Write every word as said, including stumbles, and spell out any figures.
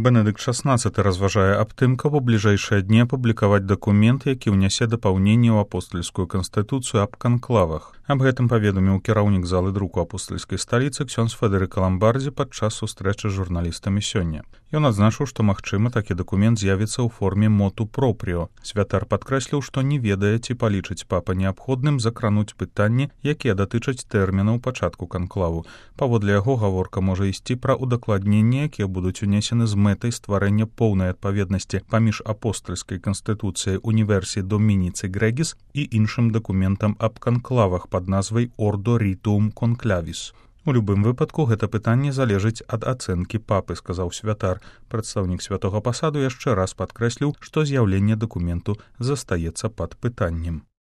Бенедыкт шаснаццаты разважае аб тым, каб у бліжэйшыя дні апублікаваць дакумент, які ўнясе дапаўненне ў апостальскую канстытуцыю аб канклавах. Аб гэтым паведаміў кіраўнік залы друку апостальскай сталіцы ксёндз Федэрыка Ламбардзі падчас сустрэчы з журналістамі сёння. Ён адзначыў, што, магчыма, такі дакумент з'явіцца ў форме моту пропріо. Святар падкрэсліў, што не ведае, ці палічыць папа неабходным закрануць пытанні, якія датычаць тэрмінаў пачатку канклаву. Паводле яго гаворка можа ісці пра удакладненні, якія будуць унесены з мэтай стварэння поўнай адпаведнасці паміж апостальскай канстытуцыяй Універсі Домініцы Грегіс і іншым дакументам аб канклавах пад назвай Ордо Ритуум Конклавіс. У любым выпадку гэта пытанне залежыць ад ацэнкі папы, сказаў святар. Прадстаўнік святога пасаду яшчэ раз падкрэсліў, што з'яўленне дакументу застаецца пад пытаннем.